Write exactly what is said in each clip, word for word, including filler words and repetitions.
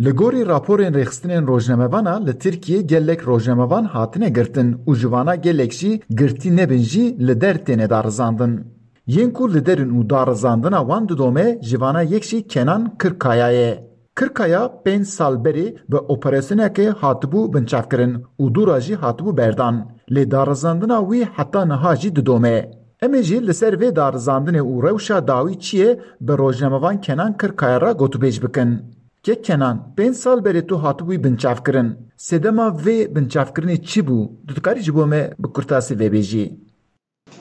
Li gorî raporên rêxistinên rojnamevana li Tirkiyê gelek rojnamevan hatine girtin û ji vana gelek jî girtî nebin jî li der têne darizandin. Yên ku li der in û darizandina wan didome ji vana yek jî Kenan Kirkaya ye. Kirkaya pênc sal berê bi operasyonekê hatibû binçavkirin û dûra jî hatibû berdan. Lê darizandina wî heta niha jî didome. Em ê jî li ser vê darizandinê û rewşa dawî çi ye bi rojnamevan Kenan Kirkaya re gotûbêj bikin. Kek Kenan, pênc sal berê tu hatibûyî binçavkirin. Sedema vê binçavkirinê çi bû? Tu dikarî ji bo me bi kurtasî vê bêjî?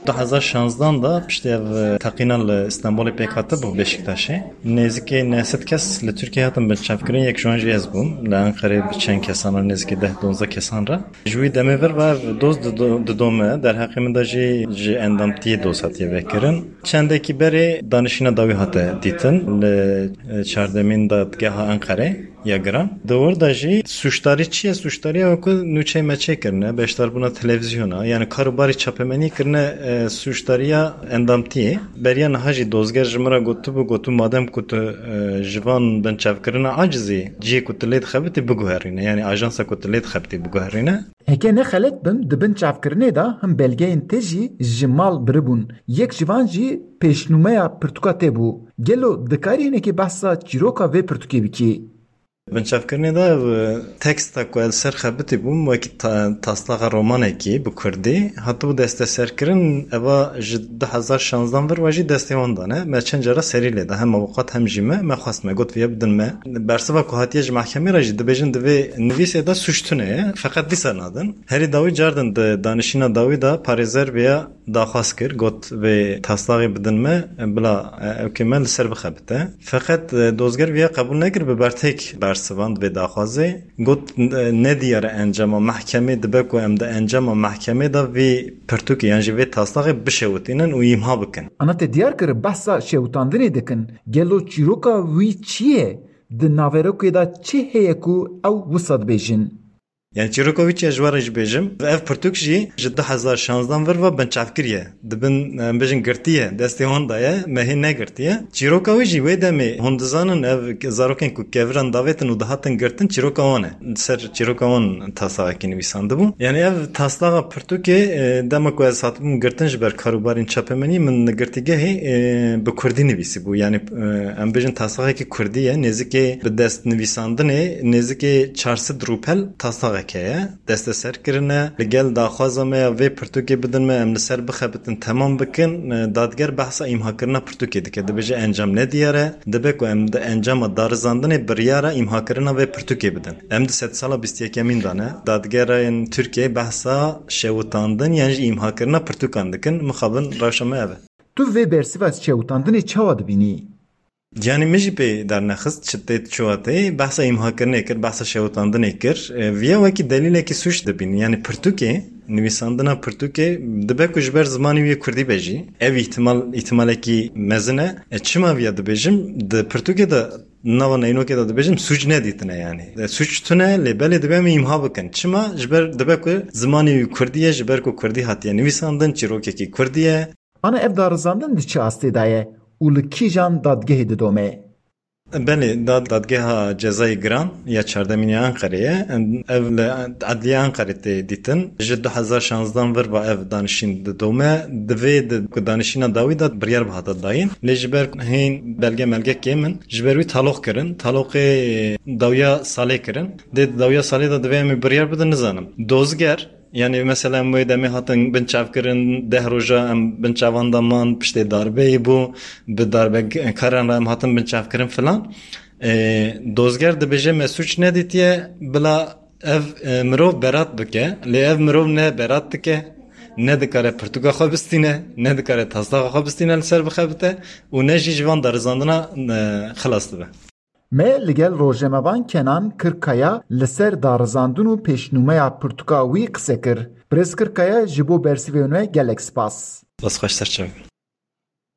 Du hezar şanzdan de piştî ev teqîna li Stenbolê pêk hatibû Beşiktaşê. Nêzîkî neh sed kes li Tirkiyê hatin binçavkirin, yek ji wan jî ez bûm. Li Enqerê bi çend kesan re, nêzîkî deh donzdeh kesan re. Ji wî demê vir ve ev doz dido- didome. Derheqê min de jî ji endamtiyê doz hatiye vekirin. Çendekî berê danişîna dawî hate dîtin li, e, çardemîn dadgeha Enqerê ya giran. Di wir de jî sûcdarî çi ye? Sûcdariya wekî nûçeyê me çêkirine, beşdarbûna televîzyona, yanî kar û barî çapemeniyê kirine, e, sûcdariya endamtiyê. Beriya niha jî dozger ji min re gotibû, gotibû madem ku tu, e, ji van binçavkirina acizî, cihê ku tu lê dixebitî biguherîne, yanî ajansa ku tu lê dixebitî biguherîne. Heke ne xelet bim, di binçavkirinê de him belgeyên te jî ji mal biribûn. Yek ji van jî pêşnûmeya pirtûka te bû. Gelo dikarî hinekî behsa çîroka vê pirtûkê bikî? Binçavkirinê de, e, teksta ku ez li ser xebitî bûm, wekî ta- taslaxa romanekî bi kurdî hatibû desteserkirin, eva ji du hezar şanzdan vir ve jî destê wan dane. Me çend cara serî lê da, hem avukat hem jî me, me xwest, me got viya bidin me. Bersiva ku hatiye ji mehkemê re jî dibêjin di vê nivîsê de sûc tune ye, feqet dîsa nadin. Herî dawî cardin di danişîna dawî de parêzer viya daxwaz kir, got vê taslaxê bidin me, bila, e, ewkê me li ser bixebite. Feqet, e, dozger viya qebûl nekir, bi bertêk bersivand vê daxwazê. Got, e, ne diyar e encama mehkemê, dibe ku em di encama mehkemê de vê pirtûkê yan jî vê taslaxê bişewitînin û îmha bikin. Ana te diyar kir behsa şewitandinê dikin. Gelo çîroka wî çi ye? Di naverokê de çi heye ku ew wisa dibêjin? Yani çîroka wî çi ye, ji we re jî bêjim. Ev pirtûk jî ji du hezar şanzdan vir ve binçavkirî ye. Dibin, em bêjin girtî ye, destê wan de ye, me hê negirtiye. Çîroka wî jî wê demê hûn dizanin ev zarokên ku keviran davêtin û dihatin girtin, çîroka wan e. Li ser çîroka wan taslaxekî nivîsandibû. Yani ev taslaxa pirtûkê, e, dema ku ez hatibûm girtin ji ber karûbarên çapemenî, min li girtîgehê, e, bi kurdî nivîsîbû. Yani, e, em bêjin taslaxekî kurdî ye, nêzikê bi dest nivîsandinê nêzikê çar sed rûpel taslaxek heye. Desteser kirine, li gel daxwaza me ya vê pirtûkê bidin me, em li ser bixebitin, temam bikin. E, dadger behsa îmhakirina pirtûkê dike. Dibêje encam nediyar e. Dibe ku em di encama darizandinê biryara îmhakirina vê pirtûkê bidin. Em di sedsala bîst yekemîn de ne. Dadgerên Tirkiyeyê behsa şewitandin yan jî îmhakirina pirtûkan dikin. Mixabin rewşa me ev e. Tu vê bersiva şewitandinê çawa dibînî? Yanî min jî pê dernexist, çi tê çawa tê, behsa îmhakirinê kir, behsa şewitandinê kir. E, viya wekî delîlekî sûc dibînî. Yanî pirtûkê, nivîsandina pirtûkê dibe ku ji ber zimanê wî yê kurdî be jî. Ev îhtimal, îhtimalekî mezin e. E, çima viya dibêjim? Di pirtûkê de, nava neynokê de dibêjim, sûc nedîtine yanî. E, sûc tune, lê belê dibe em îmha bikin. Çima? Ji ber dibe ku zimanê wî kurdî ye, ji ber ku kurdî hatiye nivîsandin, çîrokekî kurdî ye. Ana ev darizandin di çi astê de ye û li kîjan dadgehê didome? Belê, dad-, dadgeha cezayê giran ya çardemîn ya Enqerê ye. Ev li Edliya Enqerê tê dîtin. Ji du hezar şanzdan vir ve ev danişîn didome. Di vê di ku danişîna dawî de biryar bihata dayîn. Lê ji ber hên belge melge kêm in, ji ber wî taloq kirin. Taloqê dawiya salê kirin. Dê di dawiya salê de divê em ê biryar bidin, nizanim. Dozger, yanî mesela em wê demê hatin binçavkirin, deh roja em binçavan de man, piştê darbeyê bû, bi darbekaran re em hatin binçavkirin filan. E, dozger dibêje me sûc nedîtiye, bila ev, e, mirov berat bike, lê ev mirov ne berat dike, ne dikare pirtûka xwe bistîne, ne dikare taslaxa xwe bistîne li ser bixebite û ne jî ji van darizandina, e, xilas dibe. Me li gel rojnamevan Kenan Kirkaya li ser darizandin û pêşnûmeya pirtûka wî qise kir. Birêz Kirkaya, ji bo bersivên we gelek spas. Spas, xweş ser çav.